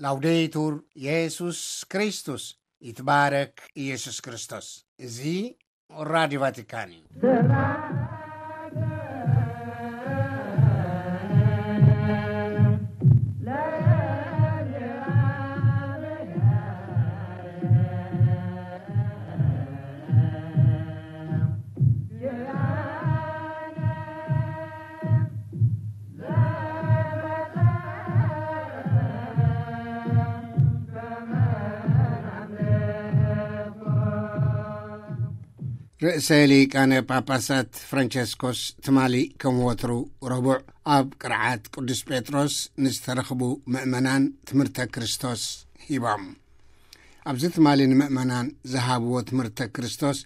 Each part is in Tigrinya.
ላውዴቱር የሱስ ክርስቶስ፣ ይትባረክ ኢየሱስ ክርስቶስ። እዚ ራዲዮ ቫቲካን እዩ። ርእሰ ሊቃነ ጳጳሳት ፍራንቸስኮስ ትማሊ ከም ወትሩ ረቡዕ ኣብ ቅርዓት ቅዱስ ጴጥሮስ ንዝተረኽቡ ምእመናን ትምህርተ ክርስቶስ ሂቦም። ኣብዚ ትማሊ ንምእመናን ዝሃብዎ ትምህርተ ክርስቶስ፣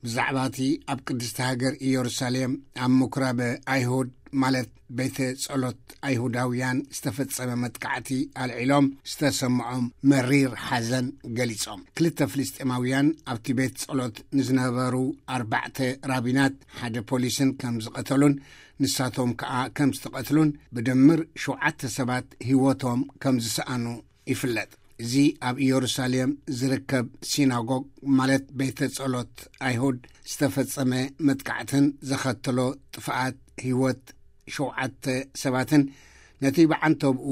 ብዛዕባ እቲ ኣብ ቅድስቲ ሃገር ኢየሩሳሌም ኣብ ምኩራብ ኣይሁድ፣ ማለት ቤተ ጸሎት ኣይሁዳውያን፣ ዝተፈጸመ መጥቃዕቲ ኣልዒሎም ዝተሰምዖም መሪር ሓዘን ገሊጾም። ክልተ ፍልስጤማውያን ኣብቲ ቤት ጸሎት ንዝነበሩ ኣርባዕተ ራቢናት፣ ሓደ ፖሊስን ከም ዝቐተሉን ንሳቶም ከኣ ከም ዝተቐትሉን፣ ብድምር ሸውዓተ ሰባት ህይወቶም ከም ዝሰኣኑ ይፍለጥ። እዚ ኣብ ኢየሩሳሌም ዝርከብ ሲናጎግ፣ ማለት ቤተ ጸሎት ኣይሁድ፣ ዝተፈጸመ መጥቃዕትን ዘኸተሎ ጥፍኣት ህይወት ሸውዓተ ሰባትን፣ ነቲ ብዓንተብኡ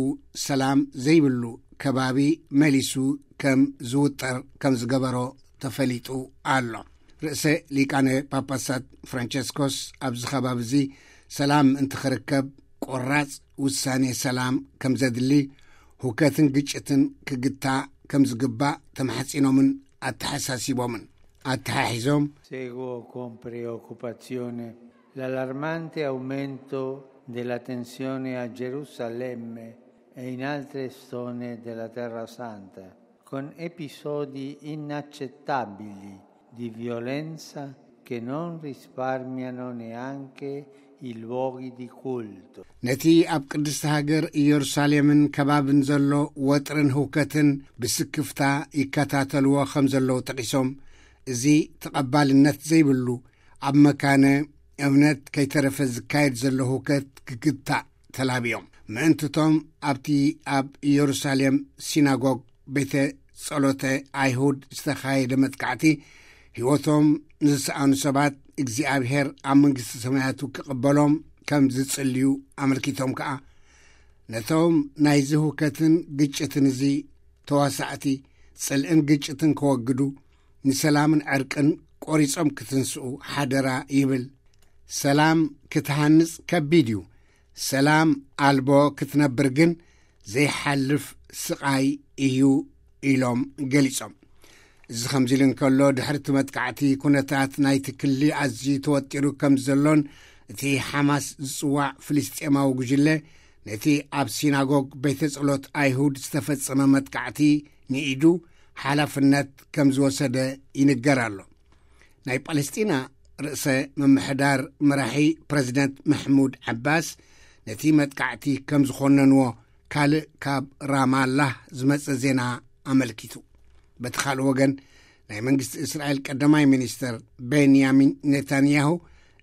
ሰላም ዘይብሉ ከባቢ መሊሱ ከም ዝውጠር ከም ዝገበሮ ተፈሊጡ ኣሎ። ርእሰ ሊቃነ ጳጳሳት ፍራንቸስኮስ ኣብዚ ከባቢ እዚ ሰላም ምእንቲ ክርከብ ቆራጽ ውሳኔ ሰላም ከም ዘድሊ፣ ሁከትን ግጭትን ክግታእ ከም ዝግባእ ተማሕጺኖምን ኣተሓሳሲቦምን። ኣተሓሒዞም፣ Seguo con preoccupazione l'allarmante aumento della tensione a Gerusalemme e in altre zone della Terra Santa, con episodi inaccettabili di violenza che non risparmiano neanche i luoghi di culto. ነቲ ኣብ ቅድስቲ ሃገር ኢየሩሳሌምን ከባብን ዘሎ ወጥርን ህውከትን ብስክፍታ ይከታተልዎ ከም ዘለዉ ጠቒሶም፣ እዚ ተቐባልነት ዘይብሉ፣ ኣብ መካነ እምነት ከይተረፈ ዝካየድ ዘሎ ህውከት ክግታእ ተላብዮም። ምእንትቶም ኣብቲ ኣብ ኢየሩሳሌም ሲናጎግ፣ ቤተ ጸሎተ ኣይሁድ፣ ዝተኻየደ መጥቃዕቲ፣ ህይወቶም ንዝሰኣኑ ሰባት እግዚኣብሔር ኣብ መንግስቲ ሰማያቱ ክቕበሎም ከም ዝጽልዩ ኣመልኪቶም ከኣ፣ ነቶም ናይዚ ህውከትን ግጭትን እዚ ተዋሳእቲ፣ ጽልእን ግጭትን ከወግዱ፣ ንሰላምን ዕርቅን ቆሪጾም ክትንስኡ ሓደራ ይብል። ሰላም ክትሃንጽ ከቢድ እዩ። ሰላም ኣልቦ ክትነብር ግን ዘይሓልፍ ስቓይ እዩ ኢሎም ገሊጾም። እዚ ከምዚ ኢሉ እንከሎ፣ ድሕሪ እቲ መጥቃዕቲ ኩነታት ናይቲ ክሊ ኣዝዩ ተወጢሩ ከም ዘሎን፣ እቲ ሓማስ ዝጽዋዕ ፍልስጤማዊ ጉጅለ ነቲ ኣብ ሲናጎግ ቤተ ጸሎት ኣይሁድ ዝተፈጸመ መጥቃዕቲ ንኢዱ ሓላፍነት ከም ዝወሰደ ይንገር ኣሎ። ናይ ጳለስጢና ርእሰ ምምሕዳር መራሒ ፕረዚደንት መሕሙድ ዓባስ ነቲ መጥቃዕቲ ከም ዝኾነንዎ ካልእ ካብ ራማላህ ዝመጸ ዜና ኣመልኪቱ። በቲ ካልእ ወገን፣ ናይ መንግስቲ እስራኤል ቀዳማይ ሚኒስተር ቤንያሚን ኔታንያሁ፣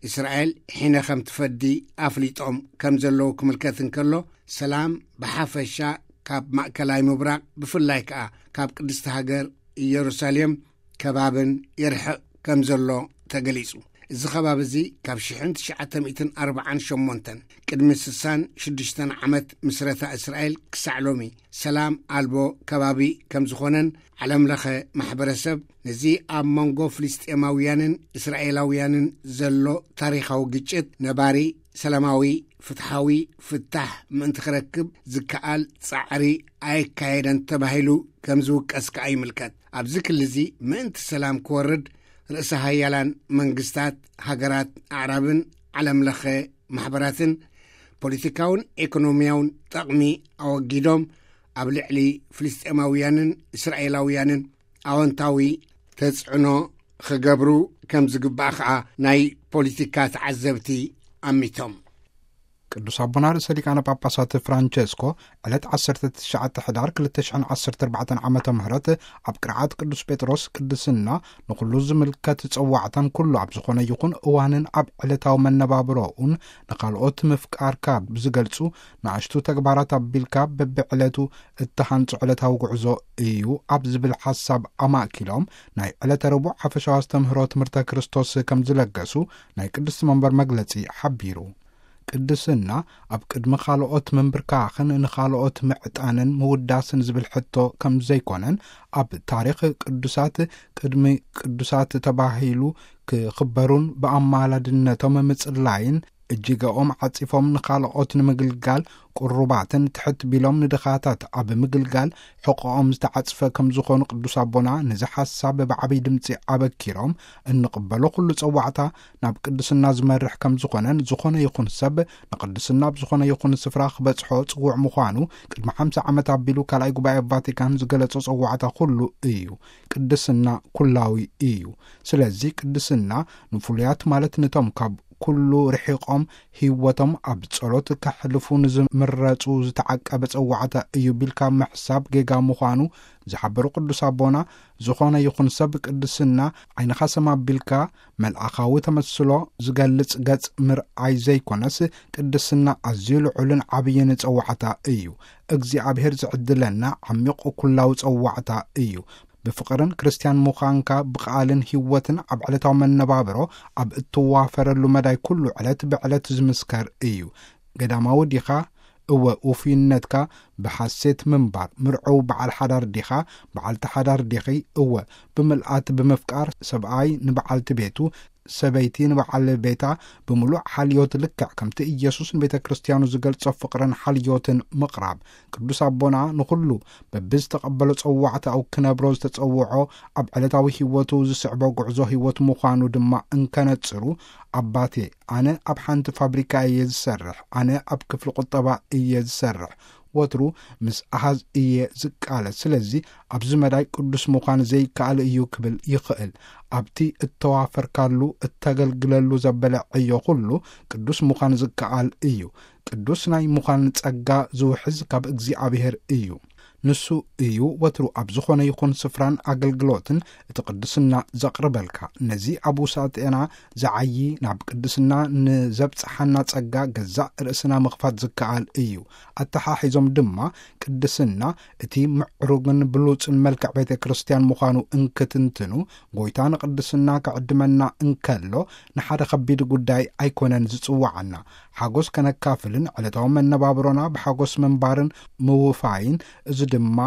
እስራኤል ሒነ ከም ትፈዲ ኣፍሊጦም ከም ዘለዉ ክምልከት እንከሎ፣ ሰላም ብሓፈሻ ካብ ማእከላይ ምብራቕ፣ ብፍላይ ከኣ ካብ ቅድስቲ ሃገር ኢየሩሳሌም ከባብን ይርሕቕ ከም ዘሎ ተገሊጹ። እዚ ከባቢ እዚ ካብ ሽሕን ትሽዓተ ሚእትን ኣርባዓን ሸሞንተን፣ ቅድሚ ስሳን ሽዱሽተን ዓመት ምስረታ እስራኤል ክሳዕ ሎሚ፣ ሰላም ኣልቦ ከባቢ ከም ዝኾነን፣ ዓለም ለኸ ማሕበረሰብ ነዚ ኣብ መንጎ ፍልስጤማውያንን እስራኤላውያንን ዘሎ ታሪኻዊ ግጭት ነባሪ ሰላማዊ፣ ፍትሓዊ ፍታሕ ምእንቲ ክረክብ ዝከኣል ጻዕሪ ኣየካየደን ተባሂሉ ከም ዝውቀስ ከኣ ይምልከት። ኣብዚ ክሊ እዚ ምእንቲ ሰላም ክወርድ፣ ርእሰ ሃያላን መንግስታት ሃገራት ኣዕራብን ዓለም ለኸ ማሕበራትን ፖለቲካውን ኤኮኖሚያውን ጠቕሚ ኣወጊዶም፣ ኣብ ልዕሊ ፍልስጤማውያንን እስራኤላውያንን ኣወንታዊ ተጽዕኖ ክገብሩ ከም ዝግባእ ከኣ ናይ ፖለቲካ ተዓዘብቲ ኣሚቶም። ቅዱስ ኣቦና ርእሰ ሊቃነ ጳጳሳት ፍራንቸስኮ ዕለት ዓሰርተ ትሽዓተ ሕዳር ክልተ ሽሕን ዓሰርተ ኣርባዕተን ዓመተ ምህረት ኣብ ቅርዓት ቅዱስ ጴጥሮስ ቅድስና ንኹሉ ዝምልከት ጸዋዕታን ኩሉ ኣብ ዝኾነ ይኹን እዋንን ኣብ ዕለታዊ መነባብሮኡን ንኻልኦት ምፍቃርካ ብዝገልጹ ንኣሽቱ ተግባራት ኣቢልካ በብዕለቱ እተሃንጹ ዕለታዊ ጉዕዞ እዩ ኣብ ዝብል ሓሳብ ኣማእኪሎም ናይ ዕለተ ረቡዕ ሓፈሻዊ ኣስተምህሮ ትምህርተ ክርስቶስ ከም ዝለገሱ ናይ ቅድስቲ መንበር መግለጺ ሓቢሩ። ቅድስና ኣብ ቅድሚ ካልኦት ምንብርካኽን ንኻልኦት ምዕጣንን ምውዳስን ዝብል ሕቶ ከም ዘይኮነን፣ ኣብ ታሪኽ ቅዱሳት ቅድሚ ቅዱሳት ተባሂሉ ክኽበሩን ብኣማላድነቶም ምጽላይን፣ እጅገኦም ዓጺፎም ንኻልኦት ንምግልጋል ቅሩባትን ትሕት ቢሎም ንድኻታት ኣብ ምግልጋል ሕቆኦም ዝተዓጽፈ ከም ዝኾኑ ቅዱስ ኣቦና ነዚ ሓሳብ ብዓብይ ድምጺ ኣበኪሮም፣ እንቕበሎ ኩሉ ጸዋዕታ ናብ ቅድስና ዝመርሕ ከም ዝኾነን፣ ዝኾነ ይኹን ሰብ ንቅድስና ኣብ ዝኾነ ይኹን ስፍራ ክበጽሖ ጽዉዕ ምዃኑ ቅድሚ ሓምሳ ዓመት ኣቢሉ ካልኣይ ጉባኤ ቫቲካን ዝገለጾ ጸዋዕታ ኩሉ እዩ። ቅድስና ኩላዊ እዩ። ስለዚ ቅድስና ንፍሉያት ማለት ንቶም ካብ ኩሉ ርሒቆም ህይወቶም ኣብ ጸሎት ከሕልፉ ንዝምረጹ ዝተዓቀበ ጸዋዕታ እዩ ቢልካ ምሕሳብ ጌጋ ምዃኑ ዝሓበሩ ቅዱስ ኣቦና፣ ዝኾነ ይኹን ሰብ ቅድስና ዓይንኻ ሰም ኣቢልካ መልኣኻዊ ተመስሎ ዝገልጽ ገጽ ምርኣይ ዘይኮነስ፣ ቅድስና ኣዝዩ ልዑልን ዓብይን ጸዋዕታ እዩ። እግዚኣብሔር ዝዕድለና ዓሚቕ ኩላዊ ጸዋዕታ እዩ። ብፍቕርን ክርስትያን ምዃንካ ብቃልን ህይወትን ኣብ ዕለታዊ መነባብሮ ኣብ እትዋፈረሉ መዳይ ኩሉ ዕለት ብዕለት ዝምስከር እዩ። ገዳማዊ ዲኻ? እወ፣ ውፉይነትካ ብሓሴት ምንባር፣ ምርዑው በዓል ሓዳር ዲኻ? በዓልቲ ሓዳር ዲኺ? እወ፣ ብምልኣት ብምፍቃር፣ ሰብኣይ ንበዓልቲ ቤቱ፣ ሰበይቲ ንበዓል ቤታ ብምሉእ ሓልዮት፣ ልክዕ ከምቲ ኢየሱስ ንቤተ ክርስትያኑ ዝገልጾ ፍቕርን ሓልዮትን ምቕራብ። ቅዱስ ኣቦና ንኹሉ በብዝተቐበሎ ጸዋዕታኡ ክነብሮ ዝተጸውዖ፣ ኣብ ዕለታዊ ህይወቱ ዝስዕቦ ጉዕዞ ህይወት ምዃኑ ድማ እንከነጽሩ፣ ኣባቴ፣ ኣነ ኣብ ሓንቲ ፋብሪካ እየ ዝሰርሕ፣ ኣነ ኣብ ክፍሊ ቁጠባ እየ ዝሰርሕ፣ ወትሩ ምስ ኣሃዝ እየ ዝቃለስ፣ ስለዚ ኣብዚ መዳይ ቅዱስ ምዃን ዘይከኣል እዩ ክብል ይኽእል። ኣብቲ እተዋፈርካሉ፣ እተገልግለሉ ዘበለ ዕዮ ኩሉ ቅዱስ ምዃን ዝከኣል እዩ። ቅዱስ ናይ ምዃን ጸጋ ዝውሕዝ ካብ እግዚኣብሔር እዩ። ንሱ እዩ ወትሩ ኣብ ዝኾነ ይኹን ስፍራን ኣገልግሎትን እቲ ቅድስና ዘቕርበልካ። ነዚ ኣብ ውሳጤና ዝዓዪ ናብ ቅድስና ንዘብጽሓና ጸጋ ገዛእ ርእስና ምኽፋት ዝከኣል እዩ። ኣተሓሒዞም ድማ ቅድስና እቲ ምዕሩግን ብሉጽን መልክዕ ቤተ ክርስቲያን ምዃኑ እንክትንትኑ፣ ጎይታ ንቅድስና ክዕድመና እንከሎ ንሓደ ከቢድ ጉዳይ ኣይኮነን ዝጽውዓና። ሓጎስ ከነካፍልን ዕለታዊ መነባብሮና ብሓጎስ ምንባርን ምውፋይን፣ እዚ ድማ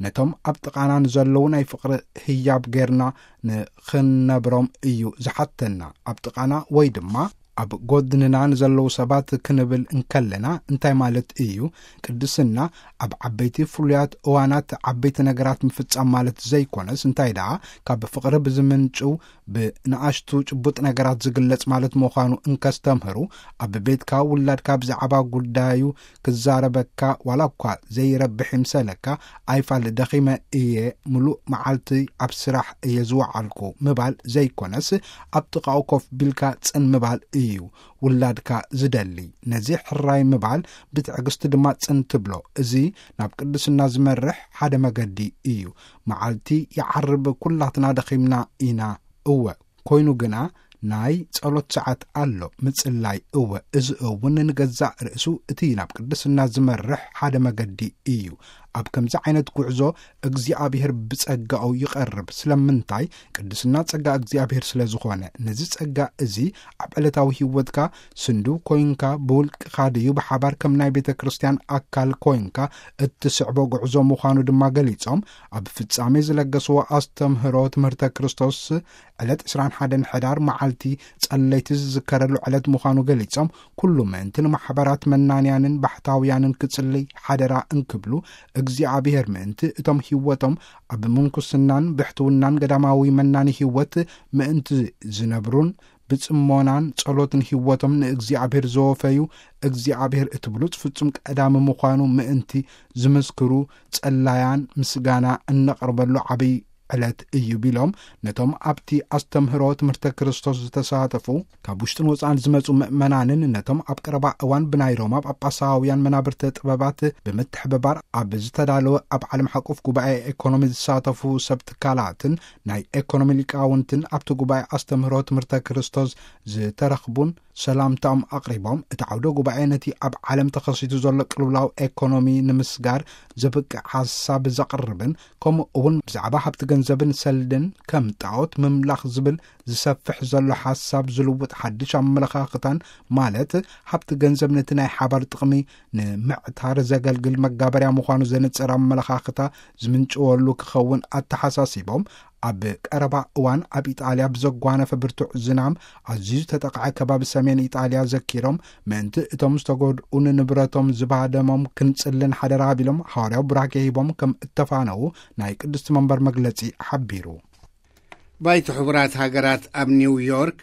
ነቶም ኣብ ጥቓና ንዘለዉ ናይ ፍቕሪ ህያብ ጌርና ንኽንነብሮም እዩ ዝሓተና። ኣብ ጥቓና ወይ ድማ ኣብ ጎድንና ንዘለዉ ሰባት ክንብል እንከለና እንታይ ማለት እዩ? ቅድስና ኣብ ዓበይቲ ፍሉያት እዋናት ዓበይቲ ነገራት ምፍጻም ማለት ዘይኮነስ፣ እንታይ ደኣ ካብ ፍቕሪ ብዝምንጩ ብንኣሽቱ ጭቡጥ ነገራት ዝግለጽ ማለት ምዃኑ እንከስተምህሩ፣ ኣብ ቤትካ ውላድካ ብዛዕባ ጉዳዩ ክዛረበካ ዋላ እኳ ዘይረብሕ ይምሰለካ፣ ኣይፋል ደኺመ እየ፣ ምሉእ መዓልቲ ኣብ ስራሕ እየ ዝወዓልኩ ምባል ዘይኮነስ፣ ኣብ ጥቓኡ ኮፍ ቢልካ ጽን ምባል እዩ ውላድካ ዝደሊ። ነዚ ሕራይ ምባል ብትዕግስቲ ድማ ጽን ትብሎ። እዚ ናብ ቅድስና ዝመርሕ ሓደ መገዲ እዩ። መዓልቲ ይዓርብ፣ ኩላትና ደኺምና ኢና። እወ፣ ኮይኑ ግና ናይ ጸሎት ሰዓት ኣሎ፣ ምጽላይ። እወ፣ እዚ እውን ንገዛእ ርእሱ እቲ ናብ ቅድስና ዝመርሕ ሓደ መገዲ እዩ። ኣብ ከምዚ ዓይነት ጉዕዞ እግዚኣብሔር ብጸጋኡ ይቐርብ። ስለምንታይ? ቅድስና ጸጋ እግዚኣብሔር ስለ ዝኾነ። ነዚ ጸጋ እዚ ኣብ ዕለታዊ ህይወትካ ስንድው ኮይንካ፣ ብውልቅኻ ድዩ ብሓባር ከም ናይ ቤተ ክርስቲያን ኣካል ኮይንካ እትስዕቦ ጉዕዞ ምዃኑ ድማ ገሊጾም፣ ኣብ ፍጻሜ ዝለገስዎ ኣስተምህሮ ትምህርተ ክርስቶስ ዕለት ዕስራን ሓደን ሕዳር መዓልቲ ጸለይቲ ዝዝከረሉ ዕለት ምዃኑ ገሊጾም፣ ኩሉ ምእንቲ ንማሕበራት መናንያንን ባሕታውያንን ክጽልይ ሓደራ እንክብሉ፣ እግዚኣብሔር ምእንቲ እቶም ህይወቶም ኣብ ምንኩስናን ብሕትውናን ገዳማዊ መናኒ ህይወት ምእንቲ ዝነብሩን ብጽሞናን ጸሎትን ህይወቶም ንእግዚኣብሔር ዘወፈዩ፣ እግዚኣብሔር እቲ ብሉጽ ፍጹም ቀዳሚ ምዃኑ ምእንቲ ዝምስክሩ ጸላያን ምስጋና እነቕርበሉ ዓብይ ዕለት እዩ ቢሎም፣ ነቶም ኣብቲ ኣስተምህሮ ትምህርተ ክርስቶስ ዝተሳተፉ ካብ ውሽጥን ወጻእን ዝመጹ ምእመናንን ነቶም ኣብ ቀረባ እዋን ብናይ ሮማ ጳጳሳውያን መናብርተ ጥበባት ብምትሕብባር ኣብ ዝተዳለወ ኣብ ዓለም ሓቆፍ ጉባኤ ኤኮኖሚ ዝሳተፉ ሰብ ትካላትን ናይ ኤኮኖሚ ሊቃውንትን ኣብቲ ጉባኤ ኣስተምህሮ ትምህርተ ክርስቶስ ዝተረኽቡን ሰላምታኦም ኣቕሪቦም፣ እቲ ዓውደ ጉባኤ ነቲ ኣብ ዓለም ተኸሲቱ ዘሎ ቅልውላው ኤኮኖሚ ንምስጋር ዘብቅዕ ሓሳብ ዘቕርብን፣ ከምኡ እውን ብዛዕባ ሃብቲ ገንዘብን ሰልድን ከም ጣዖት ምምላኽ ዝብል ዝሰፍሕ ዘሎ ሓሳብ ዝልውጥ ሓድሽ ኣመለኻኽታን፣ ማለት ሃብቲ ገንዘብ ነቲ ናይ ሓባር ጥቕሚ ንምዕታር ዘገልግል መጋበርያ ምዃኑ ዘንጽር ኣመለኻኽታ ዝምንጭወሉ ክኸውን ኣተሓሳሲቦም፣ ኣብ ቀረባ እዋን ኣብ ኢጣልያ ብዘጓነፈ ብርቱዕ ዝናም ኣዝዩ ዝተጠቕዐ ከባቢ ሰሜን ኢጣልያ ዘኪሮም፣ ምእንቲ እቶም ዝተጎድኡ ንንብረቶም ዝባደሞም ክንጽልን ሓደራ ቢሎም፣ ሓዋርያዊ ቡራኬ ሂቦም ከም እተፋነዉ ናይ ቅድስቲ መንበር መግለጺ ሓቢሩ። ባይቶ ሕቡራት ሃገራት ኣብ ኒው ዮርክ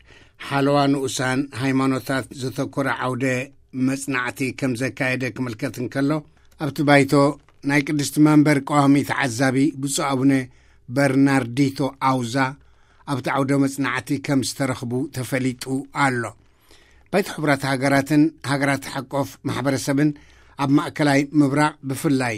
ሓለዋ ንኡሳን ሃይማኖታት ዘተኮረ ዓውደ መጽናዕቲ ከም ዘካየደ ክምልከት እንከሎ፣ ኣብቲ ባይቶ ናይ ቅድስቲ መንበር ቀዋሚ ተዓዛቢ ብፁዕ ኣቡነ በርናርዲቶ ኣውዛ ኣብቲ ዓውደ መጽናዕቲ ከም ዝተረኽቡ ተፈሊጡ ኣሎ። ባይቶ ሕቡራት ሃገራትን ሃገራት ሓቆፍ ማሕበረሰብን ኣብ ማእከላይ ምብራቕ፣ ብፍላይ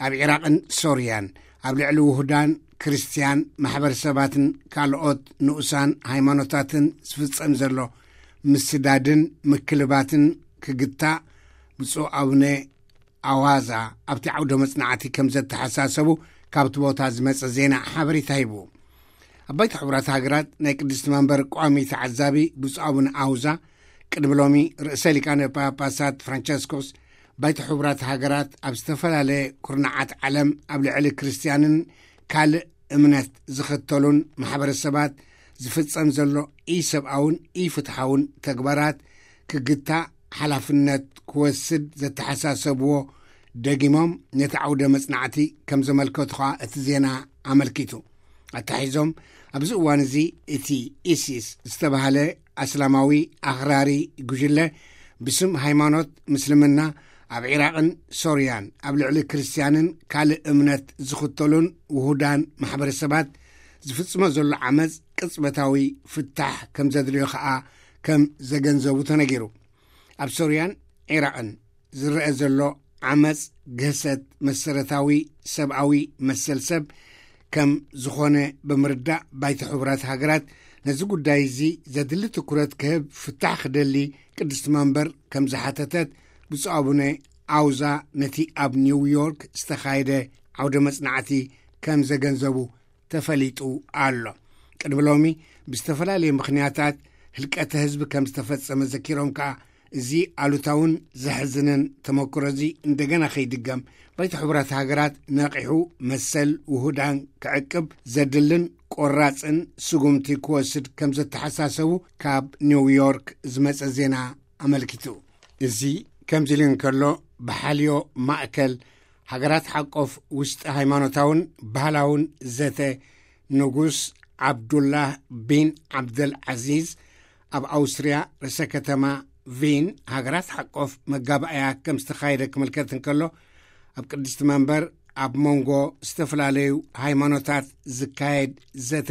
ኣብ ዒራቕን ሶርያን፣ ኣብ ልዕሊ ውሁዳን ክርስትያን ማሕበረሰባትን ካልኦት ንኡሳን ሃይማኖታትን ዝፍጸም ዘሎ ምስዳድን ምክልባትን ክግታእ፣ ብፁዕ ኣቡነ ኣዋዛ ኣብቲ ዓውደ መጽናዕቲ ከም ዘተሓሳሰቡ ካብቲ ቦታ ዝመጸ ዜና ሓበሬታ ሂቡ። ኣብ ባይቶ ሕቡራት ሃገራት ናይ ቅድስቲ መንበር ቋሚ ተዓዛቢ ብፁዕ ኣቡነ ኣውዛ፣ ቅድሚ ሎሚ ርእሰ ሊቃነ ጳጳሳት ፍራንቸስኮስ፣ ባይቶ ሕቡራት ሃገራት ኣብ ዝተፈላለየ ኩርናዓት ዓለም ኣብ ልዕሊ ክርስትያንን ካልእ እምነት ዝኽተሉን ማሕበረሰባት ዝፍጸም ዘሎ ኢሰብኣውን ኢፍትሓውን ተግባራት ክግታእ ሓላፍነት ክወስድ ዘተሓሳሰብዎ ደጊሞም ነቲ ዓውደ መጽናዕቲ ከም ዘመልከቱ ኸኣ እቲ ዜና ኣመልኪቱ። ኣታሒዞም፣ ኣብዚ እዋን እዚ እቲ ኢሲስ ዝተባህለ ኣስላማዊ ኣኽራሪ ጉጅለ ብስም ሃይማኖት ምስልምና ኣብ ዒራቕን ሶርያን ኣብ ልዕሊ ክርስትያንን ካልእ እምነት ዝኽተሉን ውሁዳን ማሕበረሰባት ዝፍጽሞ ዘሎ ዓመጽ ቅጽበታዊ ፍታሕ ከም ዘድልዮ ኸኣ ከም ዘገንዘቡ ተነጊሩ። ኣብ ሶርያን ዒራቕን ዝረአ ዘሎ ዓመጽ ግህሰት መሰረታዊ ሰብኣዊ መሰል ሰብ ከም ዝኾነ ብምርዳእ፣ ባይቶ ሕቡራት ሃገራት ነዚ ጉዳይ እዚ ዘድሊ ትኩረት ክህብ ፍታሕ ክደሊ ቅድስቲ መንበር ከም ዝሓተተት ብፁዕ ኣቡነ ኣውዛ ነቲ ኣብ ኒው ዮርክ ዝተኻየደ ዓውደ መጽናዕቲ ከም ዘገንዘቡ ተፈሊጡ ኣሎ። ቅድሚ ሎሚ ብዝተፈላለየ ምኽንያታት ህልቀተ ህዝቢ ከም ዝተፈጸመ ዘኪሮም ከኣ፣ እዚ ኣሉታውን ዘሕዝንን ተመክሮ እዚ እንደገና ከይድገም ባይቶ ሕቡራት ሃገራት ነቒሑ መሰል ውሁዳን ክዕቅብ ዘድልን ቆራጽን ስጉምቲ ክወስድ ከም ዘተሓሳሰቡ ካብ ኒው ዮርክ ዝመጸ ዜና ኣመልኪቱ። እዚ ከምዚ ኢሉ እንከሎ፣ ብሓልዮ ማእከል ሃገራት ሓቆፍ ውሽጢ ሃይማኖታውን ባህላውን ዘተ ንጉስ ዓብዱላህ ቢን ዓብደል ዓዚዝ ኣብ ኣውስትርያ ርእሰ ከተማ ቪን ሃገራት ሓቆፍ መጋባእያ ከም ዝተኻየደ ክምልከት እንከሎ፣ ኣብ ቅድስቲ መንበር ኣብ መንጎ ዝተፈላለዩ ሃይማኖታት ዝካየድ ዘተ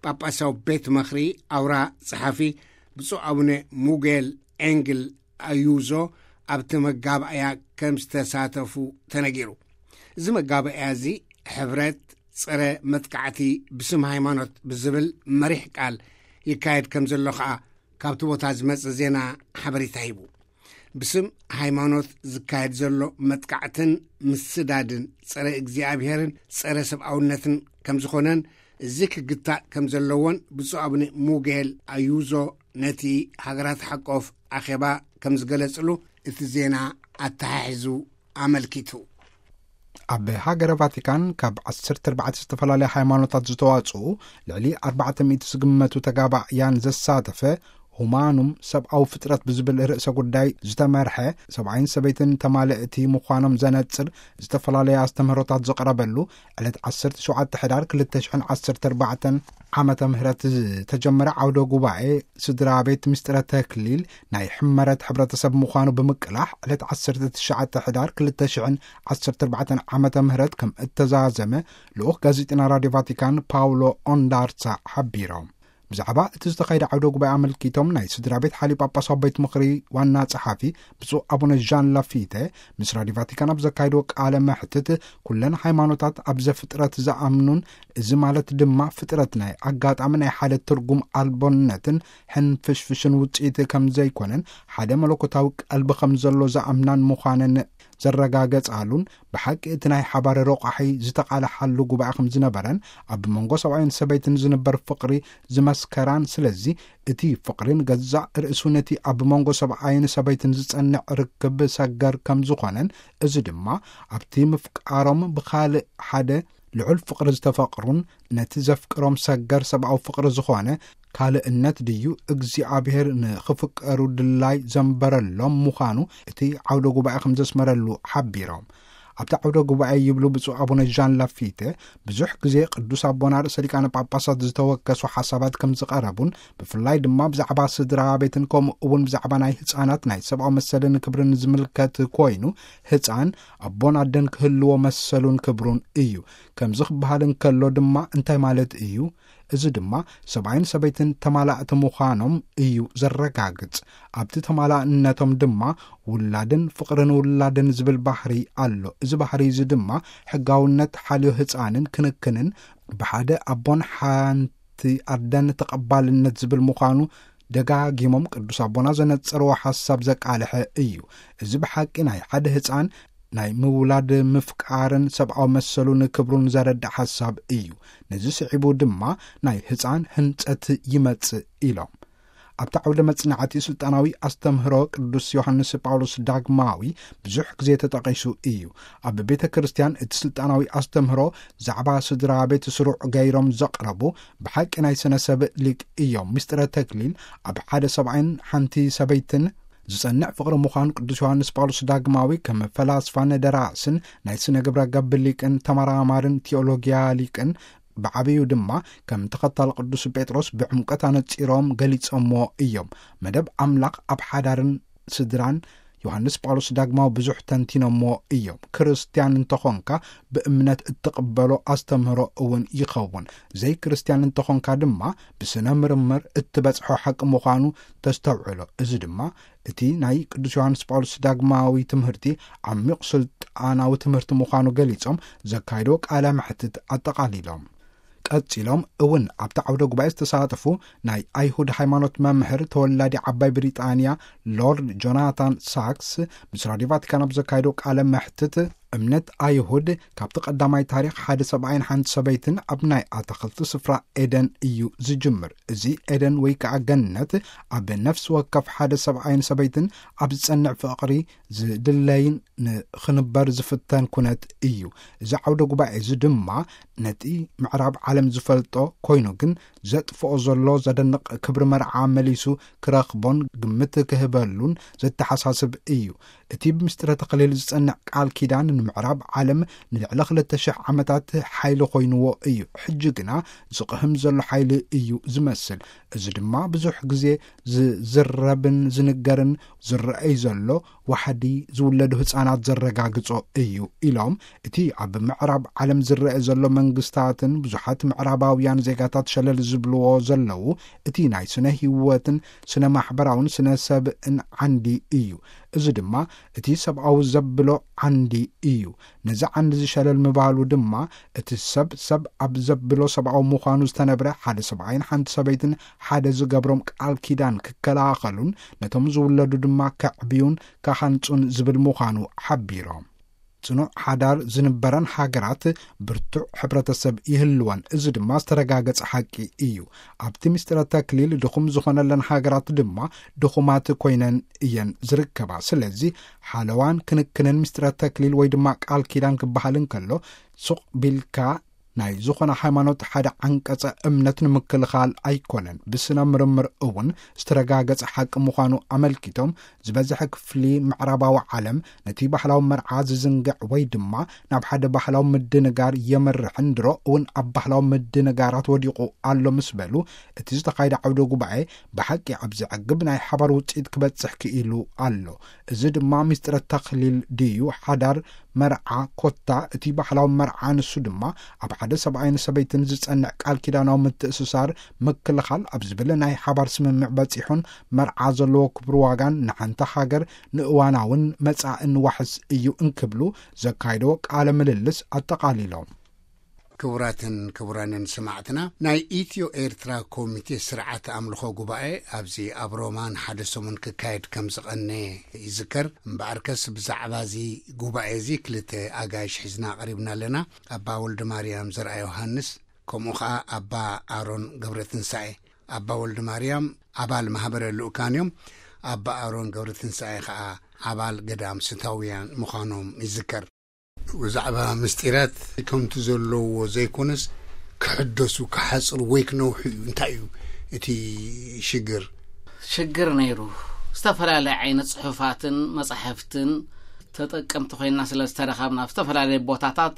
ጳጳሳዊ ቤት ምኽሪ ኣውራ ጸሓፊ ብፁዕ ኣቡነ ሙጌል ኤንግል ኣዩዞ ኣብቲ መጋባእያ ከም ዝተሳተፉ ተነጊሩ። እዚ መጋባእያ እዚ ሕብረት ጸረ መጥቃዕቲ ብስም ሃይማኖት ብዝብል መሪሕ ቃል ይካየድ ከም ዘሎ ኸኣ ካብቲ ቦታ ዝመጸ ዜና ሓበሬታ ሂቡ። ብስም ሃይማኖት ዝካየድ ዘሎ መጥቃዕትን ምስዳድን ጸረ እግዚኣብሔርን ጸረ ሰብኣውነትን ከም ዝኾነን፣ እዚ ክግታእ ከም ዘለዎን ብፁዕ ኣቡነ ሙጌል ኣዩዞ ነቲ ሃገራት ሓቆፍ ኣኼባ ከም ዝገለጽሉ እቲ ዜና ኣተሓሒዙ ኣመልኪቱ። ኣብ ሃገረ ቫቲካን ካብ ዓሰርተ ኣርባዕተ ዝተፈላለያ ሃይማኖታት ዝተዋጽኡ ልዕሊ ኣርባዕተ ሚእቲ ዝግመቱ ተጋባእያን ዘሳተፈ ሁማኑም፣ ሰብኣዊ ፍጥረት ብዝብል ርእሰ ጉዳይ ዝተመርሐ፣ ሰብኣይን ሰበይትን ተማልእቲ ምዃኖም ዘነጽር ዝተፈላለየ ኣስተምህሮታት ዝቐረበሉ ዕለት ዓሰርተ ሸውዓተ ሕዳር ክልተ ሽሕን ዓሰርተ ኣርባዕተን ዓመተ ምህረት ዝተጀመረ ዓውደ ጉባኤ ስድራ ቤት ምስጢረ ተክሊል ናይ ሕመረት ሕብረተሰብ ምዃኑ ብምቅላሕ፣ ዕለት ዓሰርተ ትሽዓተ ሕዳር ክልተ ሽሕን ዓሰርተ ኣርባዕተን ዓመተ ምህረት ከም እተዛዘመ ልኡኽ ጋዜጠና ራድዮ ቫቲካን ፓውሎ ኦንዳርሳ ሓቢሮም። ብዛዕባ እቲ ዝተኻየደ ዓውደ ጉባኤ ኣመልኪቶም ናይ ስድራ ቤት ሓሊ ጳጳሳዊ ቤት ምኽሪ ዋና ጸሓፊ ብፁዕ ኣቡነ ዣን ላፊተ ምስ ራድዮ ቫቲካን ኣብ ዘካየድዎ ቃለ መሕትት፣ ኩለን ሃይማኖታት ኣብ ዘፍጥረት ዝኣምኑን፣ እዚ ማለት ድማ ፍጥረት ናይ ኣጋጣሚ ናይ ሓደ ትርጉም ኣልቦነትን ሕንፍሽፍሽን ውጽኢት ከም ዘይኮነን፣ ሓደ መለኮታዊ ቀልቢ ከም ዘሎ ዝኣምናን ምዃነን ዘረጋገጻሉን፣ ብሓቂ እቲ ናይ ሓባር ረቋሒ ዝተቓልሓሉ ጉባኤ ከም ዝነበረን፣ ኣብ መንጎ ሰብኣይን ሰበይትን ዝንበር ፍቕሪ ዝመስከራን፣ ስለዚ እቲ ፍቕሪን ገዛእ ርእሱ ነቲ ኣብ መንጎ ሰብኣይን ሰበይትን ዝጸንዕ ርክብ ሰገር ከም ዝኾነን፣ እዚ ድማ ኣብቲ ምፍቃሮም ብኻልእ ሓደ ልዑል ፍቕሪ ዝተፈቕሩን ነቲ ዘፍቅሮም ሰገር ሰብኣዊ ፍቕሪ ዝኾነ ካልእነት ድዩ እግዚኣብሔር ንኽፍቀሩ ድላይ ዘንበረሎም ምዃኑ እቲ ዓውደ ጉባኤ ከም ዘስመረሉ ሓቢሮም። ኣብቲ ዓውደ ጉባኤ ይብሉ ብፁዕ ኣቡነ ዣን ላፊተ፣ ብዙሕ ግዜ ቅዱስ ኣቦና ርእሰ ሊቃነ ጳጳሳት ዝተወከሱ ሓሳባት ከም ዝቐረቡን፣ ብፍላይ ድማ ብዛዕባ ስድራ ቤትን ከምኡ እውን ብዛዕባ ናይ ህፃናት ናይ ሰብኣዊ መሰልን ክብርን ዝምልከት ኮይኑ፣ ህፃን ኣቦን ኣደን ክህልዎ መሰሉን ክብሩን እዩ። ከምዚ ክበሃል እንከሎ ድማ እንታይ ማለት እዩ? እዚ ድማ ሰብኣይን ሰበይትን ተማላእቲ ምዃኖም እዩ ዘረጋግጽ። ኣብቲ ተማላእነቶም ድማ ውላድን ፍቕርን ውላድን ዝብል ባህሪ ኣሎ። እዚ ባህሪ እዚ ድማ ሕጋውነት ሓልዮ ህፃንን ክንክንን ብሓደ ኣቦን ሓንቲ ኣደን ተቐባልነት ዝብል ምዃኑ ደጋጊሞም ቅዱስ ኣቦና ዘነጸርዎ ሓሳብ ዘቃልሐ እዩ። እዚ ብሓቂ ናይ ሓደ ህፃን ናይ ምውላድ ምፍቃርን ሰብኣዊ መሰሉን ክብሩን ዘረድእ ሓሳብ እዩ። ነዚ ስዒቡ ድማ ናይ ህፃን ህንጸት ይመጽእ ኢሎም። ኣብቲ ዓውደ መጽናዕቲ ስልጣናዊ ኣስተምህሮ ቅዱስ ዮሃንስ ጳውሎስ ዳግማዊ ብዙሕ ግዜ ተጠቒሱ እዩ። ኣብ ቤተ ክርስቲያን እቲ ስልጣናዊ ኣስተምህሮ ዛዕባ ስድራ ቤት ስሩዕ ገይሮም ዘቕረቡ ብሓቂ ናይ ስነ ሰብ ሊቅ እዮም። ምስጢረ ተክሊል ኣብ ሓደ ሰብኣይን ሓንቲ ሰበይትን ዝጸንዕ ፍቕሪ ምዃኑ ቅዱስ ዮሃንስ ጳውሎስ ዳግማዊ ከም ፈላስፋን ደራስን ናይ ስነ ግብረ ገብ ሊቅን ተመራማርን ቴዎሎጊያ ሊቅን ብዓብዩ ድማ ከም ተኸታሊ ቅዱስ ጴጥሮስ ብዕምቆት ኣነጺሮም ገሊጾምዎ እዮም። መደብ ኣምላኽ ኣብ ሓዳርን ስድራን ዮሃንስ ጳውሎስ ዳግማዊ ብዙሕ ተንቲኖምዎ እዮም። ክርስትያን እንተኾንካ ብእምነት እትቕበሎ ኣስተምህሮ እውን ይኸውን። ዘይክርስቲያን እንተኾንካ ድማ ብስነ ምርምር እትበጽሖ ሓቂ ምዃኑ ተስተውዕሎ። እዚ ድማ እቲ ናይ ቅዱስ ዮሃንስ ጳውሎስ ዳግማዊ ትምህርቲ ዓሚቕ ስልጣናዊ ትምህርቲ ምዃኑ ገሊጾም ዘካየድዎ ቃለ መሕትት ኣጠቓሊሎም። ቀጺሎም እውን ኣብቲ ዓውደ ጉባኤ ዝተሳተፉ ናይ ኣይሁድ ሃይማኖት መምህር ተወላዲ ዓባይ ብሪጣንያ ሎርድ ጆናታን ሳክስ ምስ ራድዮ ቫቲካን ኣብ ዘካየዶ ቃለ መሕትት፣ እምነት ኣይሁድ ካብቲ ቀዳማይ ታሪኽ ሓደ ሰብኣይን ሓንቲ ሰበይትን ኣብ ናይ ኣታኽልቲ ስፍራ ኤደን እዩ ዝጅምር። እዚ ኤደን ወይ ከኣ ገነት ኣብ ነፍሲ ወከፍ ሓደ ሰብኣይን ሰበይትን ኣብ ዝጸንዕ ፍቕሪ ዝድለይን ንኽንበር ዝፍተን ኩነት እዩ። እዚ ዓውደ ጉባኤ እዚ ድማ ነቲ ምዕራብ ዓለም ዝፈልጦ ኮይኑ ግን ዘጥፍኦ ዘሎ ዘደንቕ ክብሪ መርዓ መሊሱ ክረኽቦን ግምት ክህበሉን ዘተሓሳስብ እዩ። እቲ ብምስጢረ ተኽሊል ዝጸንዕ ቃል ኪዳን ንምዕራብ ዓለም ንልዕሊ ክልተ ሽሕ ዓመታት ሓይሊ ኮይንዎ እዩ። ሕጂ ግና ዝቕህም ዘሎ ሓይሊ እዩ ዝመስል። እዚ ድማ ብዙሕ ግዜ ዝዝረብን ዝንገርን ዝረኣይ ዘሎ ዋሕዲ ዝውለዱ ህጻናት ዘረጋግጾ እዩ ኢሎም፣ እቲ ኣብ ምዕራብ ዓለም ዝረአ ዘሎ መንግስታትን ብዙሓት ምዕራባውያን ዜጋታት ሸለል ዝብልዎ ዘለዉ እቲ ናይ ስነ ህይወትን ስነ ማሕበራውን ስነ ሰብእን ዓንዲ እዩ። እዚ ድማ እቲ ሰብኣዊ ዘብሎ ዓንዲ እዩ። ነዚ ዓንዲ ዝሸለል ምባሉ ድማ እቲ ሰብ ሰብ ኣብ ዘብሎ ሰብኣዊ ምዃኑ ዝተነብረ ሓደ ሰብኣይን ሓንቲ ሰበይትን ሓደ ዝገብሮም ቃል ኪዳን ክከላኸሉን ነቶም ዝውለዱ ድማ ከዕብዩን ከሃንጹን ዝብል ምዃኑ ሓቢሮም። ጽኑዕ ሓዳር ዝንበረን ሃገራት ብርቱዕ ሕብረተሰብ ይህልወን። እዚ ድማ ዝተረጋገጸ ሓቂ እዩ። ኣብቲ ምስጢረ ተክሊል ድኹም ዝኾነለን ሃገራት ድማ ድኹማት ኮይነን እየን ዝርከባ። ስለዚ ሓለዋን ክንክንን ምስጢረ ተክሊል ወይ ድማ ቃል ኪዳን ክበሃል እንከሎ ሱቕ ቢልካ ናይ ዝኾነ ሃይማኖት ሓደ ዓንቀጸ እምነት ንምክልኻል ኣይኮነን። ብስነ ምርምር እውን ዝተረጋገጸ ሓቂ ምዃኑ ኣመልኪቶም፣ ዝበዝሐ ክፍሊ ምዕራባዊ ዓለም ነቲ ባህላዊ መርዓ ዝዝንግዕ ወይ ድማ ናብ ሓደ ባህላዊ ምድንጋር የመርሕን ድሮ እውን ኣብ ባህላዊ ምድንጋራት ወዲቑ ኣሎ ምስ በሉ፣ እቲ ዝተኻየደ ዓውደ ጉባኤ ብሓቂ ኣብ ዘዕግብ ናይ ሓባር ውፅኢት ክበፅሕ ክኢሉ ኣሎ። እዚ ድማ ምስጢረ ተኽሊል ድዩ ሓዳር መርዓ ኮታ እቲ ባህላዊ መርዓ፣ ንሱ ድማ ኣብ ሓደ ሰብኣይን ሰበይትን ዝጸንዕ ቃል ኪዳናዊ ምትእስሳር ምክልኻል ኣብ ዝብል ናይ ሓባር ስምምዕ በጺሑን መርዓ ዘለዎ ክብሪ ዋጋን ንሓንቲ ሃገር ንእዋናውን መጻእን ዋሕስ እዩ እንክብሉ ዘካይደዎ ቃለ ምልልስ ኣጠቓሊሎም። ክቡራትን ክቡራንን ሰማዕትና፣ ናይ ኢትዮ ኤርትራ ኮሚቴ ስርዓት ኣምልኾ ጉባኤ ኣብዚ ኣብ ሮማ ንሓደ ሰሙን ክካየድ ከም ዝቐነ ይዝከር። እምበኣርከስ ብዛዕባ እዚ ጉባኤ እዚ ክልተ ኣጋይሽ ሒዝና ቀሪብና ኣለና። ኣባ ወልደ ማርያም ዘርኣ ዮሃንስ፣ ከምኡ ኸኣ ኣባ ኣሮን ገብረ ትንሳኤ። ኣባ ወልደ ማርያም ኣባል ማህበረ ልኡካን እዮም። ኣባ ኣሮን ገብረ ትንሳኤ ኸኣ ኣባል ገዳም ስታውያን ምዃኖም ይዝከር። ብዛዕባ ምስጢራት ከምቲ ዘለዎ ዘይኮነስ፣ ክሕደሱ፣ ክሓጽሩ ወይ ክነውሑ እዩ። እንታይ እዩ እቲ ሽግር? ሽግር ነይሩ። ዝተፈላለየ ዓይነት ጽሑፋትን መጻሕፍትን ተጠቀምቲ ኮይና ስለ ዝተረኸብና፣ ኣብ ዝተፈላለየ ቦታታት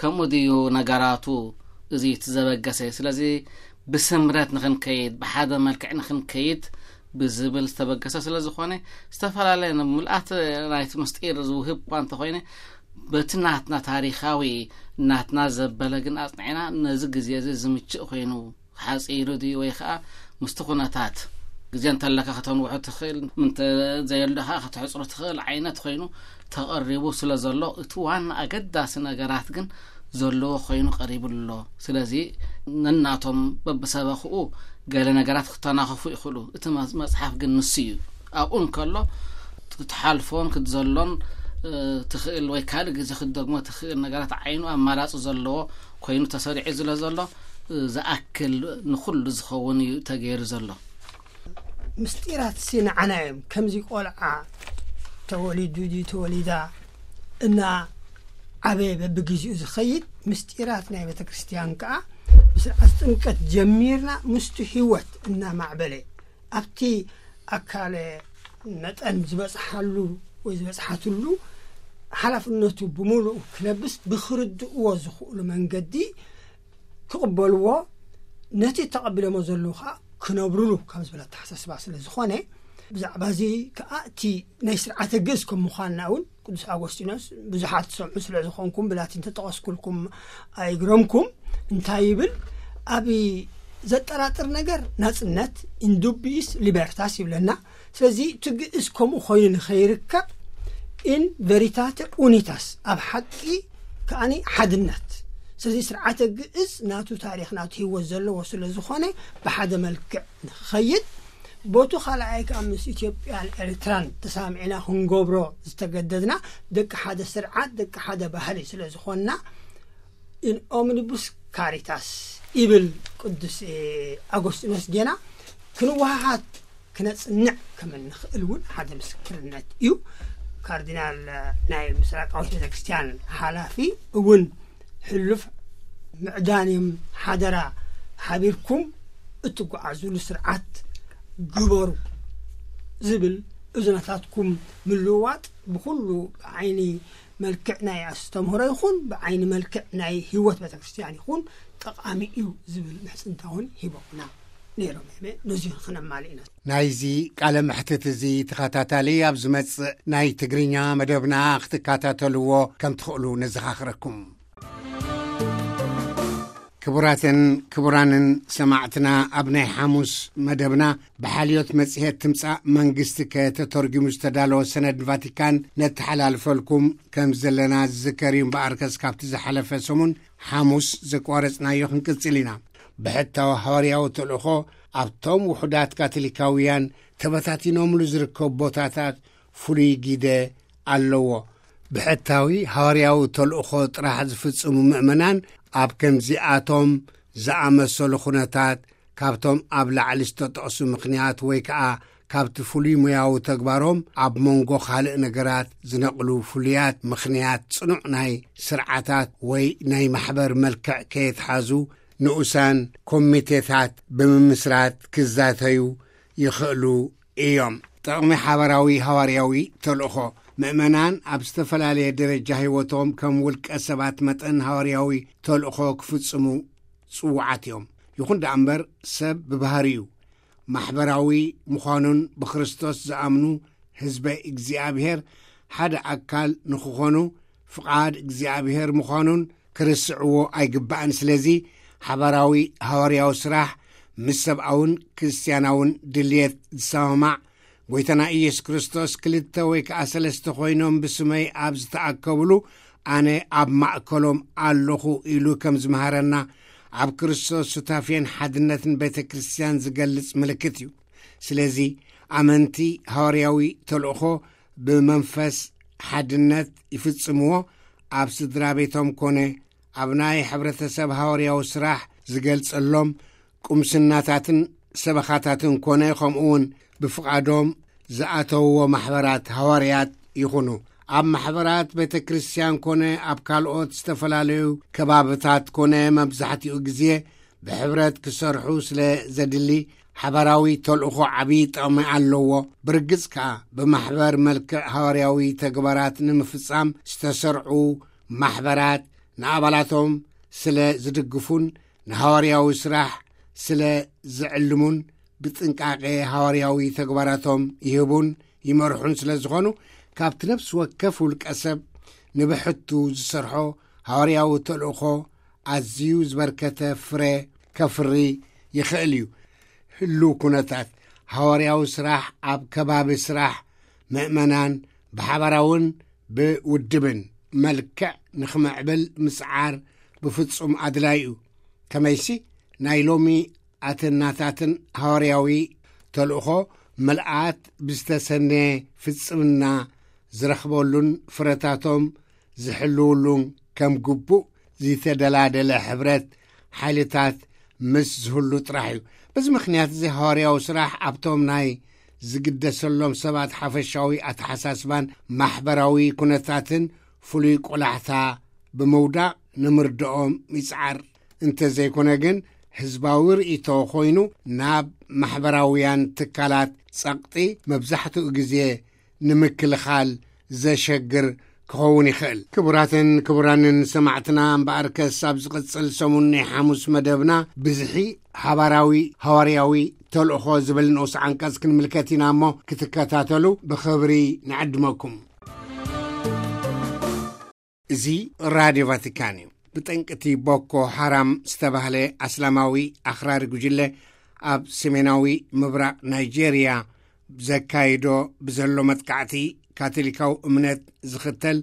ከምኡ ድዩ ነገራቱ፣ እዚ እቲ ዘበገሰ። ስለዚ ብስምረት ንኽንከይድ፣ ብሓደ መልክዕ ንኽንከይድ ብዝብል ዝተበገሰ ስለ ዝኾነ፣ ዝተፈላለየ ንምልኣት ናይቲ ምስጢር ዝውህብ እኳ እንተኾይነ፣ በቲ ናትና ታሪኻዊ፣ ናትና ዘበለ ግን ኣጽኒዕና፣ ነዚ ግዜ እዚ ዝምችእ ኮይኑ ሓጺሩ ድዩ ወይ ኸኣ ምስቲ ኩነታት፣ ግዜ እንተለካ ከተንውሖ ትኽእል፣ እንተ ዘየሎ ኸኣ ከተሕጽሮ ትኽእል ዓይነት ኮይኑ ተቐሪቡ ስለ ዘሎ፣ እቲ ዋና ኣገዳሲ ነገራት ግን ዘለዎ ኮይኑ ቀሪቡ ኣሎ። ስለዚ ነናቶም በብሰበኽኡ ገለ ነገራት ክተናኸፉ ይኽእሉ። እቲ መ-፣ መጽሓፍ ግን ንሱ እዩ። ኣብኡ እንከሎ ክትሓልፎን ክትዘሎን፣ እ፣ ትኽእል ወይ ካልእ ግዜ ክትደግሞ ትኽእል ነገራት ዓይኑ ኣማራጺ ዘለዎ ኮይኑ ተሰሪዑ ስለ ዘሎ፣ እ፣ ዝኣክል ንኹሉ ዝኸውን እዩ ተገይሩ ዘሎ። ምስጢራት ሲ ንዓና እዮም። ከምዚ ቆልዓ ተወሊዱ ድዩ ተወሊዳ እና ዓበየ በብግዜኡ ዝኸይድ ምስጢራት ናይ ቤተ ክርስቲያን ከኣ ብስርዓት ጥምቀት ጀሚርና ምስቲ ህይወት እናማዕበለ ኣብቲ ኣካለ መጠን ዝበጽሓሉ ወይ ዝበጽሓትሉ ሓላፍነቱ ብምሉኡ ክለብስ ብክርድእዎ ዝኽእሉ መንገዲ ክቕበልዎ፣ ነቲ ተቐቢሎሞ ዘለዉ ኸኣ ክነብሩሉ ካብ ዝብል ኣተሓሳስባ ስለ ዝኾነ፣ ብዛዕባ እዚ ከኣ እቲ ናይ ስርዓተ ግእዝ ከም ምዃንና እውን ቅዱስ ኣጎስጢኖስ ብዙሓት ትሰምዑ ስለ ዝኾንኩም ብላቲን ተጠቐስኩልኩም ኣይግረምኩም። እንታይ ይብል? ኣብ ዘጠራጥር ነገር ናጽነት፣ ኢን ዱቢይስ ሊበርታስ ይብለና። ስለዚ እቲ ግእዝ ከምኡ ኮይኑ ንኸይርከብ ኢን ቨሪታተ ኡኒታስ፣ ኣብ ሓቂ ከኣኒ ሓድነት። ስለዚ ስርዓተ ግእዝ ናቱ ታሪኽ ናቱ ህይወት ዘለዎ ስለ ዝኾነ ብሓደ መልክዕ ንኽኸይድ፣ ቦቱ ካልኣይ ከኣ ምስ ኢትዮጵያን ኤርትራን ተሳሚዕና ክንገብሮ ዝተገደድና ደቂ ሓደ ስርዓት ደቂ ሓደ ባህሊ ስለ ዝኾንና ኢን ኦምኒቡስ ካሪታስ ይብል ቅዱስ፣ እ፣ ኣጎስጢኖስ ጌና ክንወሃሃድ ክነጽንዕ ከም እንኽእል እውን ሓደ ምስክርነት እዩ። ካርዲናል፣ እ፣ ናይ ምስራቃዊት ቤተክርስትያን ሓላፊ እውን ሕሉፍ ምዕዳን እዮም ሓደራ ሓቢርኩም እትጓዓዙሉ ስርዓት ግበሩ ዝብል እዝነታትኩም ምልውዋጥ ብኹሉ ብዓይኒ መልክዕ ናይ ኣስተምህሮ ይኹን ብዓይኒ መልክዕ ናይ ህይወት ቤተክርስትያን ይኹን ጠቓሚ እዩ ዝብል ምሕጽንታ እውን ሂቦምና ነይሮም። እመ ነዚ ክነማልእ ኢና። ናይዚ ቃለ መሕትት እዚ ተኸታታሊ ኣብ ዝመጽእ ናይ ትግርኛ መደብና ክትከታተልዎ ከም ትኽእሉ ነዘኻኽረኩም። ክቡራትን ክቡራንን ሰማዕትና፣ ኣብ ናይ ሓሙስ መደብና ብሓልዮት መጽሔት ትምጻእ መንግስቲ ከተተርጉሙ ዝተዳለወ ሰነድ ቫቲካን ነተሓላልፈልኩም ከም ዘለና ዝዝከር እዩ። እምበኣርከስ ካብቲ ዝሓለፈ ሰሙን ሓሙስ ዘቋረጽናዮ ክንቅጽል ኢና። ብሕታዊ ሃዋርያዊ ተልእኾ ኣብቶም ውሑዳት ካቶሊካውያን ተበታቲኖምሉ ዝርከቡ ቦታታት ፍሉይ ግደ ኣለዎ። ብሕታዊ ሃዋርያዊ ተልእኾ ጥራሕ ዝፍጽሙ ምእመናን ኣብ ከምዚኣቶም ዝኣመሰሉ ኩነታት ካብቶም ኣብ ላዕሊ ዝተጠቕሱ ምኽንያት ወይ ከኣ ካብቲ ፍሉይ ሞያዊ ተግባሮም ኣብ መንጎ ካልእ ነገራት ዝነቕሉ ፍሉያት ምኽንያት ጽኑዕ ናይ ስርዓታት ወይ ናይ ማሕበር መልክዕ ከየትሓዙ ንኡሳን ኮሚቴታት ብምምስራት ክዛተዩ ይኽእሉ እዮም። ጥቕሚ ሓበራዊ ሃዋርያዊ ተልእኾ። ምእመናን ኣብ ዝተፈላለየ ደረጃ ህይወቶም ከም ውልቀ ሰባት መጠን ሃዋርያዊ ተልእኾ ክፍጽሙ ጽውዓት እዮም። ይኹን ደኣ እምበር ሰብ ብባህሪኡ ማሕበራዊ ምዃኑን ብክርስቶስ ዝኣምኑ ህዝበ እግዚኣብሔር ሓደ ኣካል ንክኾኑ ፍቓድ እግዚኣብሔር ምዃኑን ክርስዕዎ ኣይግባእን። ስለዚ ሓባራዊ ሃዋርያዊ ስራሕ ምስ ሰብኣውን ክርስትያናውን ድልየት ዝሰማማዕ፣ ጎይታና ኢየሱስ ክርስቶስ ክልተ ወይ ከኣ ሰለስተ ኮይኖም ብስመይ ኣብ ዝተኣከብሉ ኣነ ኣብ ማእከሎም ኣለኹ ኢሉ ከም ዝመሃረና ኣብ ክርስቶስ ሱታፌን ሓድነትን ቤተ ክርስቲያን ዝገልጽ ምልክት እዩ። ስለዚ ኣመንቲ ሃዋርያዊ ተልእኾ ብመንፈስ ሓድነት ይፍጽምዎ። ኣብ ስድራ ቤቶም ኮነ ኣብ ናይ ሕብረተሰብ ሃዋርያዊ ስራሕ ዝገልጸሎም ቁምስናታትን ሰበኻታትን ኮነ ከምኡ እውን ብፍቓዶም ዝኣተውዎ ማሕበራት ሃዋርያት ይኹኑ። ኣብ ማሕበራት ቤተ ክርስቲያን ኮነ ኣብ ካልኦት ዝተፈላለዩ ከባብታት ኮነ መብዛሕትኡ ግዜ ብሕብረት ክሰርሑ ስለ ዘድሊ ሓባራዊ ተልእኾ ዓብዪ ጥቕሚ ኣለዎ። ብርግጽ ከኣ ብማሕበር መልክዕ ሃዋርያዊ ተግባራት ንምፍጻም ዝተሰርዑ ማሕበራት ንኣባላቶም ስለ ዝድግፉን ንሃዋርያዊ ስራሕ ስለ ዝዕልሙን ብጥንቃቄ ሃዋርያዊ ተግባራቶም ይህቡን ይመርሑን ስለ ዝኾኑ ካብቲ ነፍሲ ወከፍ ውልቀ ሰብ ንብሕቱ ዝሰርሖ ሃዋርያዊ ተልእኾ ኣዝዩ ዝበርከተ ፍረ ከፍሪ ይኽእል እዩ። ህሉው ኩነታት ሃዋርያዊ ስራሕ ኣብ ከባቢ ስራሕ ምእመናን ብሓባራውን ብውድብን መልክዕ ንኽምዕብል ምጽዓር ብፍጹም ኣድላይ እዩ። ከመይሲ ናይ ሎሚ ኣተናታትን ሃዋርያዊ ተልእኾ ምልኣት ብዝተሰነ ፍጽምና ዝረኽበሉን ፍረታቶም ዝሕልውሉን ከም ግቡእ ዝተደላደለ ሕብረት ሓይልታት ምስ ዝህሉ ጥራሕ እዩ። በዚ ምኽንያት እዚ ሃዋርያዊ ስራሕ ኣብቶም ናይ ዝግደሰሎም ሰባት ሓፈሻዊ ኣተሓሳስባን ማሕበራዊ ኩነታትን ፍሉይ ቆላሕታ ብምውዳቕ ንምርድኦም ይጽዓር። እንተዘይኮነ ግን ህዝባዊ ርእይቶ ኮይኑ ናብ ማሕበራውያን ትካላት ጸቕጢ መብዛሕትኡ ግዜ ንምክልኻል ዘሸግር ክኸውን ይኽእል። ክቡራትን ክቡራንን ሰማዕትና እምበኣርከስ ኣብ ዝቕጽል ሰሙን ናይ ሓሙስ መደብና ብዝሒ ሓባራዊ ሃዋርያዊ ተልእኾ ዝብል ንኡስ ዓንቀጽ ክንምልከት ኢና እሞ ክትከታተሉ ብኽብሪ ንዕድመኩም። እዚ ራድዮ ቫቲካን እዩ። ብጠንቅቲ ቦኮ ሓራም ዝተባህለ ኣስላማዊ ኣኽራሪ ጉጅለ ኣብ ሰሜናዊ ምብራቕ ናይጄርያ ዘካይዶ ብዘሎ መጥቃዕቲ ካቶሊካዊ እምነት ዝኽተል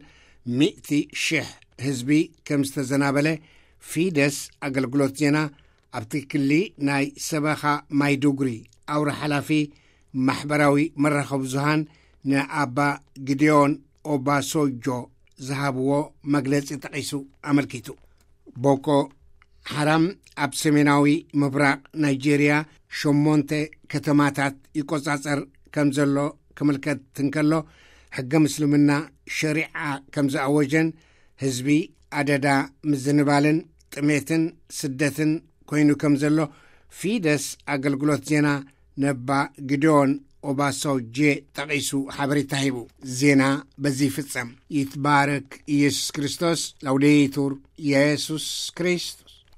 ሚእቲ ሽሕ ህዝቢ ከም ዝተዘናበለ ፊደስ ኣገልግሎት ዜና ኣብቲ ክሊ ናይ ሰበኻ ማይዱጉሪ ኣውራ ሓላፊ ማሕበራዊ መራኸቢ ብዙሃን ንኣባ ግዲዮን ኦባሶጆ ዝሃብዎ መግለጺ ጠቒሱ ኣመልኪቱ። ቦኮ ሓራም ኣብ ሰሜናዊ ምብራቕ ናይጄርያ ሸሞንተ ከተማታት ይቆጻጸር ከም ዘሎ ክምልከት እንከሎ፣ ሕገ ምስልምና ሸሪዓ ከም ዝኣወጀን ህዝቢ ኣደዳ ምዝንባልን ጥሜትን ስደትን ኮይኑ ከም ዘሎ ፊደስ ኣገልግሎት ዜና ነባ ግዲዮን ኦባሶጄ ጠቒሱ ሓበሬታ ሂቡ። ዜና በዚ ይፍጸም። ይትባረክ ኢየሱስ ክርስቶስ። ላውዴቱር ኢየሱስ ክሪስት።